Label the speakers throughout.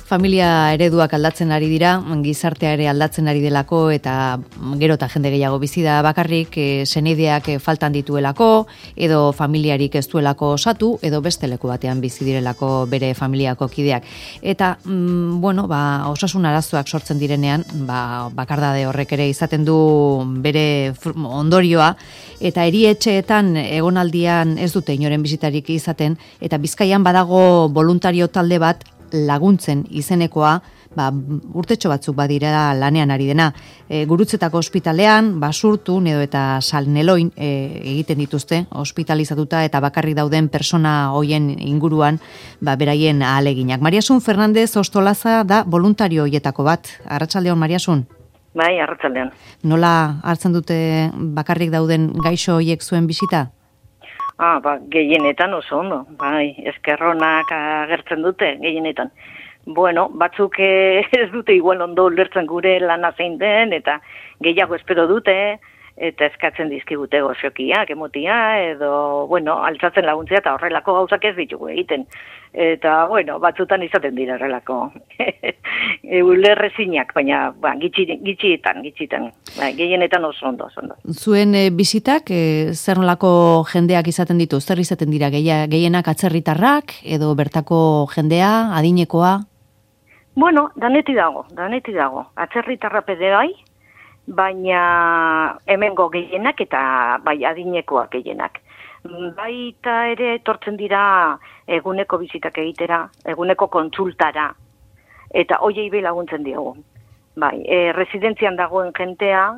Speaker 1: Familia ereduak aldatzen ari dira, gizartea ere aldatzen ari delako eta gero eta jende gehiago bizi da bakarrik, seneideak faltan dituelako, edo familiarik ez duelako osatu, edo beste leku batean bizi direlako bere familiako kideak. Eta, osasun arazoak sortzen direnean, bakardade horrek ere izaten du bere ondorioa, eta erietxeetan egonaldian ez dute inoren bizitarik izaten, eta Bizkaian badago voluntario talde bat laguntzen izenekoa, urtetxo batzuk badira lanean ari dena. Gurutzetako ospitalean, Basurtun edo eta Salneloin egiten dituzte, ospitalizatuta eta bakarrik dauden persona hoien inguruan, beraien ahaleginak. Mariasun Fernandez Ostolaza da voluntario hoietako bat. Arratsaldeon, Mariasun.
Speaker 2: Bai, arratsaldeon.
Speaker 1: Nola hartzen dute bakarrik dauden gaixo hoiek zuen bisita?
Speaker 2: Gehienetan oso ondo, eskerronak agertzen dute, gehienetan. Bueno, batzuk ez dute igual ondo ulertzen gure lana zein den, eta gehiago espero dute, eta eskatzen dizkigute goxokiak, emotia, edo, altzatzen laguntzea, eta horrelako gauzak ez ditugu egiten. Eta, batzutan izaten dira horrelako. Ulerrezinak, baina gitxietan. Gehienetan oso ondo.
Speaker 1: Zuen bizitak, zer nolako jendeak izaten ditu? Zer izaten dira gehienak atzerritarrak, edo bertako jendea, adinekoa?
Speaker 2: Bueno, daneti dago. Atzerritarra bai, baina hemengo gehienak eta adinekoak gehienak. Baita ere etortzen dira eguneko bizitak egitera, eguneko kontsultara, eta hoiei be laguntzen diogu. Residentzietan dagoen jentea,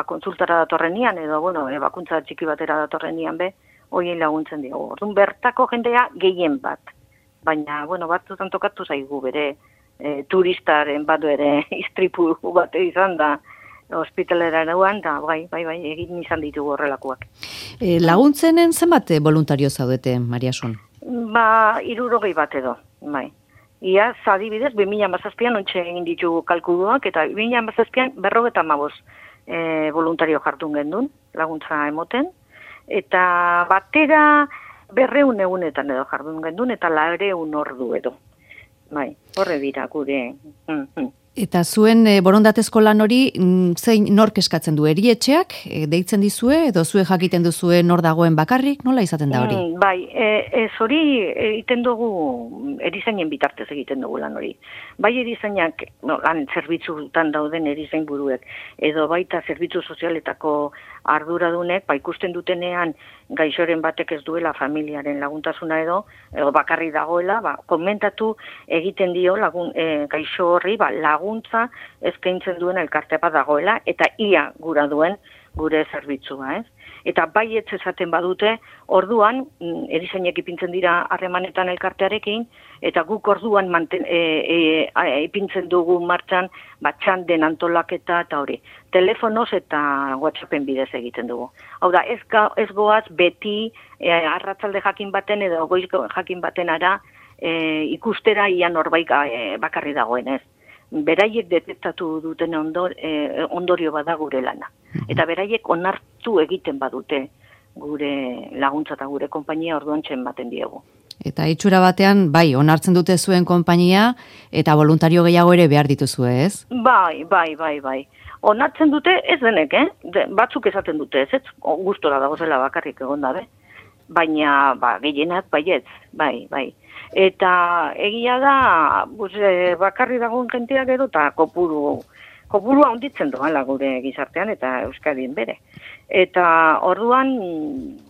Speaker 2: kontsultara datorrenian, edo, bakuntza txiki batera datorrenian be, hoiei laguntzen diogu. Orduan bertako jendea gehien bat, baina, batzutan tokatu zaigu bere, turistaren badu ere istripu bat izan da, ospitalera eruan, da, egin izan ditugu horrelakoak.
Speaker 1: Laguntzenen zenbat voluntario zaudete, Mariasun?
Speaker 2: 60 bat edo, Ia, adibidez, 2017an ontxe egin ditugu kalkuluak, eta 2017an 55 voluntario jartun gendun, laguntza emoten, eta batera 200 egunetan edo jardun gendun, eta 400 ordu edo. Horre dira gure.
Speaker 1: Eta zuen borondatezko lan hori, zein nork eskatzen du, erietxeak, deitzen dizue, edo zue jakiten duzue nor dagoen bakarrik, nola izaten da hori?
Speaker 2: Ez hori egiten dugu, erizainen bitartez egiten dugu lan hori. Bai erizainak, lan zerbitzutan dauden erizain buruek, edo baita zerbitzu sozialetako arduradunek, ikusten dutenean gaixoren batek ez duela familiaren laguntasuna edo bakarri dagoela, komentatu egiten dio gaixo horri laguntza eskaintzen duen elkarte bat dagoela, eta ia gura duen gure zerbitzua, ez? Eta baietz esaten badute, orduan, erizainek ipintzen dira harremanetan elkartearekin, eta guk orduan ipintzen dugu martxan, txanden antolaketa eta hori. Telefonoz eta WhatsAppen bidez egiten dugu. Hau da, ez goaz beti arratzalde jakin baten edo goizko jakin baten ara ikustera ia norbait bakarri dagoen, ez? Beraiek detektatu duten ondorio bada gure lana. Eta beraiek onartu egiten badute gure laguntza eta gure konpainia orduan txen baten diegu.
Speaker 1: Eta itxura batean, onartzen dute zuen konpainia eta voluntario gehiago ere behar dituzue, ez?
Speaker 2: Bai. Onartzen dute ez denek, batzuk esaten dute, ez? Gustora dagozela bakarrik egon dabe. Baina, gehienak baietz, bai. Eta egia da, bakarri dagoen jenteak edo, eta kopurua onditzen doala gure gizartean eta Euskadin bere. Eta orduan,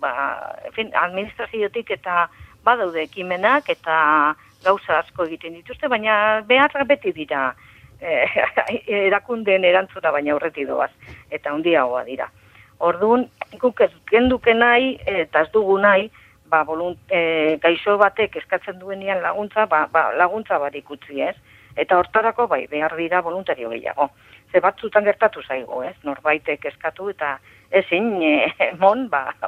Speaker 2: administraziotik eta badaude ekimenak eta gauza asko egiten dituzte, baina beharra beti dira erakundeen erantzuna baina aurretik doaz, eta handiagoa dira. Orduan, guk ez genduke nahi, eta ez dugu nahi, gaixo batek eskatzen duenean laguntza, laguntza barik utzi, ez? Eta hortarako, behar dira voluntario gehiago. Ze batzutan gertatu zaigu, ez? Norbaitek eskatu eta ezin,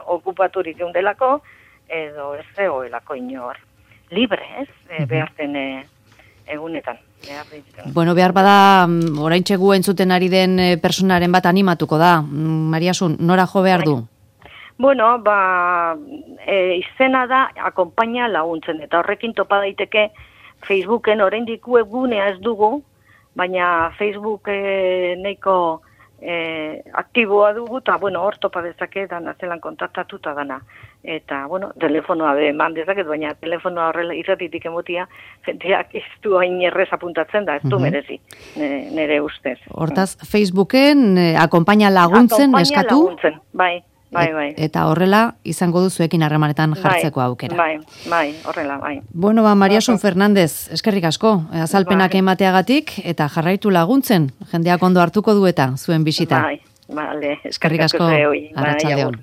Speaker 2: okupaturik eundelako, edo ez zegoelako inor. Libre, ez? Beharten egunetan.
Speaker 1: Behar bada, oraintxe gu entzuten ari den personaren bat animatuko da. Mariasun, nora jo behar du?
Speaker 2: Izena da akonpaina laguntzen, eta horrekin topa daiteke Facebooken oraindik webgunea ez dugu, baina Facebook nahiko aktiboa dugu, eta, bueno, hor topa dezake, dana zelan kontaktatuta dana. Eta, bueno, telefonoa eman dezaket, baina telefonoa horrela irratitik emotia, jenteak ez du hain errez apuntatzen da, ez du merezi, nire ustez.
Speaker 1: Hortaz, Facebooken akonpaina laguntzen eskatu?
Speaker 2: Laguntzen, bai.
Speaker 1: Eta horrela izango duzuekin harremanetan jartzeko aukera.
Speaker 2: Bai, horrela, bai.
Speaker 1: Bueno, Mariasun Fernandez, eskerrik asko, azalpenak emateagatik, eta jarraitu laguntzen, jendeak ondo hartuko du eta zuen bisita.
Speaker 2: Bai,
Speaker 1: eskerrik asko, arratsaldeon.